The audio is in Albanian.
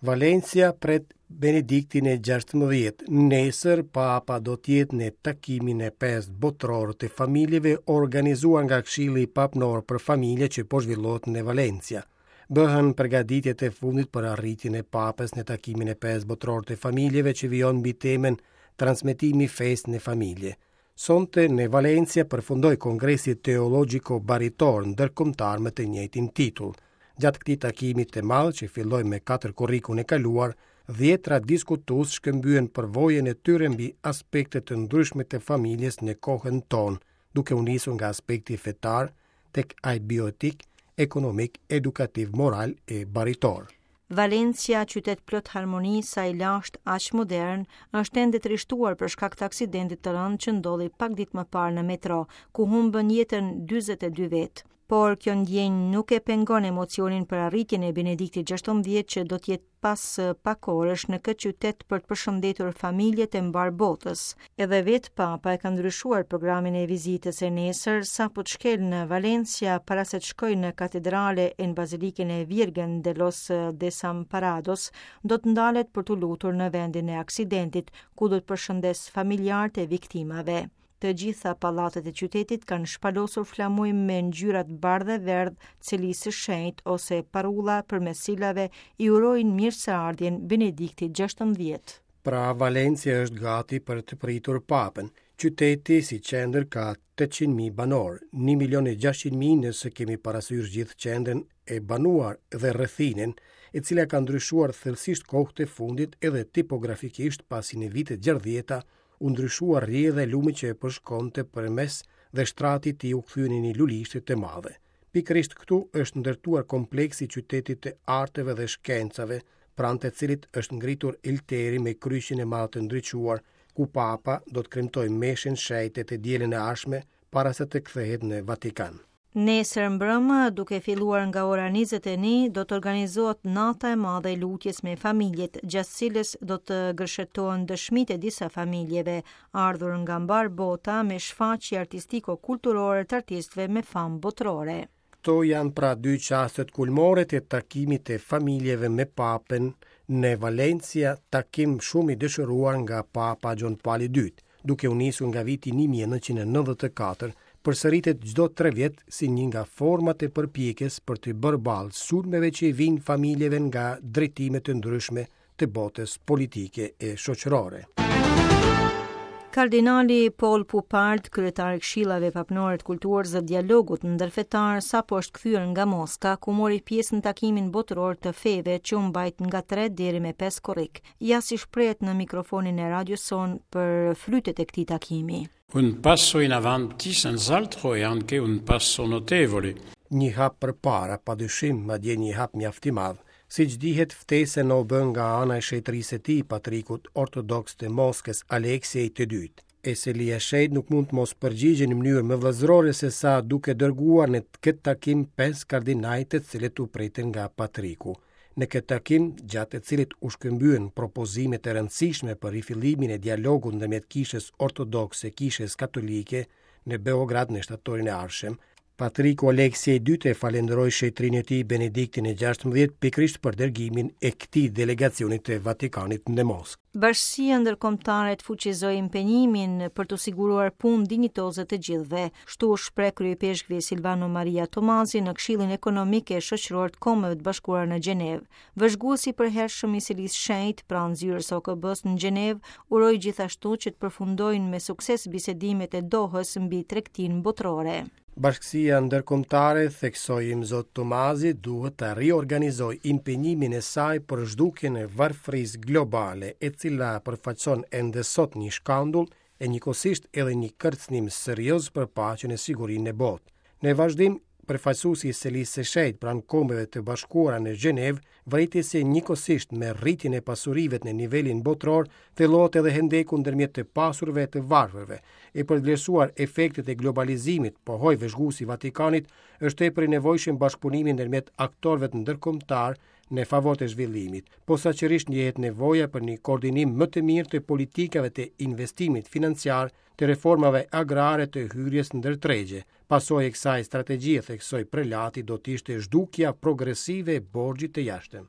Valencia pret Benediktin e 16. Nesër Papa do të jetë në takimin e pestë botëror të familjeve organizuar nga Këshilli Papnor për Familje që po zhvillohet në Valencia. Bëhen përgatitjet e fundit për arritjen e Papës në takimin e pestë botëror të familjeve që vijon mbi temën Transmetimi i fesë në familje. Sonte në Valencia përfundoi Kongresi Teologjiko Baritor Ndërkombëtar me të njëjtin titull. Gjatë këtij takimi të madh që filloi me 4 korrikun e kaluar, dhjetra diskutues shkëmbyen përvojën e tyre mbi aspekte të ndryshme të familjes në kohën tonë, duke u nisur nga aspekti fetar tek ai bioetik, ekonomik, edukativ, moral e baritor. Valencia, qytet plot harmoni, sa i lashtë aq modern, është ende trishtuar për shkak të aksidentit të rëndë që ndodhi pak ditë më parë në metro, ku humbën jetën 42 vetë. Por kjo ndjenjë nuk e pengon emocionin për arritjen e Benediktit XVI që do të jetë pas pak orësh në këtë qytet për të përshëndetur familjet e mbarë botës. Edhe vetë Papa e ka ndryshuar programin e vizitës e nesër, sapo të shkelë në Valencia para se të shkojë në katedrale e në bazilikën e Virgen de los Desamparados, do të ndalet për t'u lutur në vendin e aksidentit, ku do të përshëndesë familjarët e viktimave. Të gjitha pallatet e qytetit kanë shpalosur flamuj me ngjyrat bardhë e verdhë të Selisë së Shenjtë ose parulla përmes cilave i urojnë mirëseardhjen Benediktit XVI. Pra Valencia është gati për të pritur Papën. Qyteti si qendër ka 800.000 banorë, 1 milion e 600.000 nëse kemi parasysh gjithë qendrën e banuar dhe rrethinën, e cila ka ndryshuar thellësisht kohët e fundit edhe tipografikisht pasi në vitet 60-ta u ndryshua rrjedha e lumit që e përshkonte përmes dhe shtrati i tij u kthye në një lulishte të madhe. Pikërisht këtu është ndërtuar kompleksi i qytetit të arteve dhe shkencave, pranë të cilit është ngritur olteri me kryqin e madh të ndriçuar, ku Papa do të kremtojë meshën shenjte të dielën e ardhshme para se të kthehet në Vatikan. Nesër mbrëma, duke filluar nga ora 21, do të organizohet nata e madhe e lutjes me familjet, gjatë cilës do të gërshetohen dëshmitë e disa familjeve, ardhur nga mbarë bota me shfaqje artistiko-kulturore të artistëve me famë botërore. Këto janë pra dy çastet kulmore të takimit të familjeve me Papën në Valencia, takim shumë i dëshiruar nga Papa Gjon Pali II, duke u nisur nga viti 1994, përsëritet çdo tre vjet si një nga format e përpjekjes për të bërë ballë sulmeve që i vijnë familjeve nga drejtime të ndryshme të botës politike e shoqërore. Kardinali Paul Poupard, kryetar i Këshillave Papnore të Kulturës dhe Dialogut Ndërfetar, sapo është kthyer nga Moska, ku mori pjesë në takimin botëror të feve që u mbajt nga 3 deri me 5 korrik. Ja si shprehet në mikrofonin e radios sonë për frytet e këtij takimi. Un passo in avanti, senz'altro, e anche un passo notevole. Një hap përpara, pa dyshim, madje një hap mjaft i madh. Siç dihet, ftesa na u bë nga ana e shenjtërisë së tij, patrikut ortodoks të Moskës, Aleksiej të Dytë. E Selia e Shenjtë nuk mund të mos përgjigjej në mënyrë më vëllazërore se sa duke dërguar në këtë takim pesë kardinaj të cilët u pritën nga patriku. Në këtë takim, gjatë të cilit u shkëmbyen propozime të rëndësishme për rifillimin e dialogut ndërmjet Kishës Ortodokse e Kishës Katolike në Beograd në shtatorin e ardhshëm, Patriku Aleksej i Dytë e falënderoi shenjtërinë e tij Benediktin e XVI pikërisht për dërgimin e këtij delegacioni të Vatikanit në Moskë. Bashkësia ndërkombëtare të fuqizojë impenjimin për t'u siguruar punë dinjitoze të gjithëve, Kështu u shpreh kryeipeshkvi Silvano Maria Tomasi në Këshillin Ekonomik e Shoqëror të Kombeve të Bashkuara në Gjenevë. Vëzhguesi i përhershëm i Selisë Shenjtë pranë zyrës së OKB-së në Gjenevë uroi gjithashtu që të përfundojnë me sukses bisedimet e Dohës mbi tregtinë botërore. Bashkësia ndërkombëtare, theksoi Imzot Tomazi, duhet ta riorganizojë impenjimin e saj për zhdukjen e varfërisë globale, e cila përfaqëson ende sot një shkandull e njëkohësisht edhe një kërcënim serioz për paqen e sigurinë në botë. Në vazhdim, përfaqësuesi i Selisë së Shenjtë pranë Kombeve të Bashkuara në Gjenevë vërejti se njëkohësisht me rritjen e pasurive në nivelin botëror thellohet edhe hendeku ndërmjet të pasurve e të varfërve. E për të vlerësuar efektet e globalizimit, pohoi vëzhguesi i Vatikanit, është tepër i nevojshëm bashkëpunimi ndërmjet aktorëve ndërkombëtarë në favor të zhvillimit. Posaçërisht ndjehet nevoja për një koordinim më të mirë të politikave të investimit financiar, të reformave agrare të hyrjes ndër tregje. Pasojë e kësaj strategjie, theksoi prelati, do të ishte zhdukja progresive e borxhit të jashtëm.